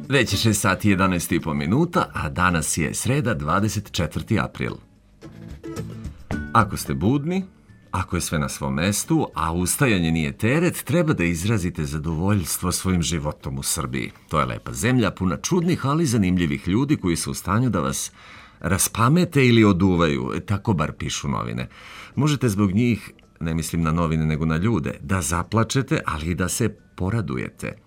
Već je 6 sati i 11,5 minuta, a danas je sreda 24. april. Ako ste budni, ako je sve na svom mestu, a ustajanje nije teret, treba da izrazite zadovoljstvo svojim životom u Srbiji. To je lepa zemlja, puna čudnih, ali zanimljivih ljudi koji su u stanju da vas raspamete ili oduvaju, tako bar pišu novine. Možete zbog njih, ne mislim na novine nego na ljude, da zaplačete, ali i da se poradujete.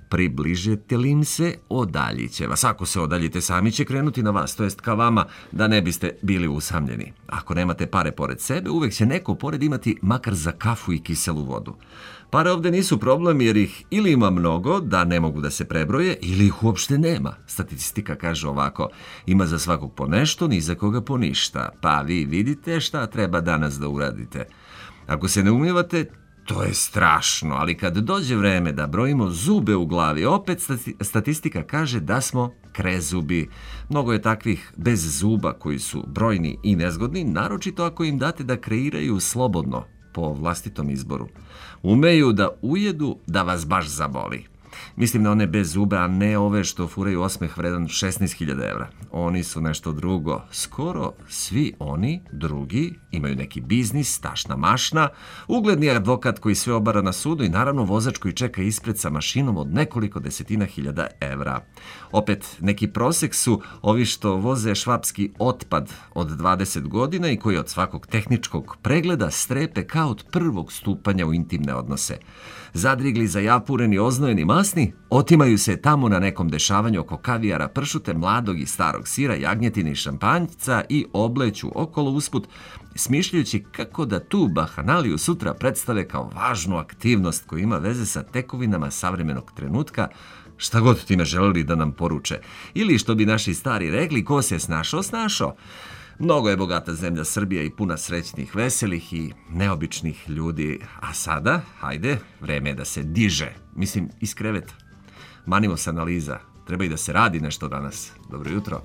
Približite li im se, odaljiće vas. Ako se odaljite, sami će krenuti na vas, to jest ka vama, da ne biste bili usamljeni. Ako nemate pare pored sebe, uvek će neko pored imati makar za kafu i kiselu vodu. Pare ovde nisu problem jer ih ili ima mnogo, da ne mogu da se prebroje, ili ih uopšte nema. Statistika kaže ovako, ima za svakog po nešto, ni za koga po ništa. Pa vi vidite šta treba danas da uradite. Ako se ne umivate, to je strašno, ali kad dođe vreme da brojimo zube u glavi, opet statistika kaže da smo krezubi. Mnogo je takvih bez zuba koji su brojni i nezgodni, naročito ako im date da kreiraju slobodno, po vlastitom izboru. Umeju da ujedu da vas baš zaboli. Mislim na one bez zube, a ne ove što furaju osmeh vredan 16.000 evra. Oni su nešto drugo. Skoro svi oni, drugi, imaju neki biznis, tašna mašna, ugledni advokat koji sve obara na sudu i naravno vozač koji čeka ispred sa mašinom od nekoliko desetina hiljada evra. Opet, neki prosek su ovi što voze švapski otpad od 20 godina i koji od svakog tehničkog pregleda strepe kao od prvog stupanja u intimne odnose. Zadrigli, zajapureni, oznojeni, masni, otimaju se tamo na nekom dešavanju oko kavijara, pršute, mladog i starog sira, jagnjetine i šampanjca i obleću okolo usput, smišljajući kako da tu bahanaliju sutra predstave kao važnu aktivnost koja ima veze sa tekovinama savremenog trenutka, šta god time želeli da nam poruče. Ili što bi naši stari rekli, ko se snašao, snašao. Mnogo je bogata zemlja Srbija i puna srećnih, veselih i neobičnih ljudi. A sada, hajde, vreme je da se diže. Mislim, iz kreveta. Manimo se analiza. Treba i da se radi nešto danas. Dobro jutro.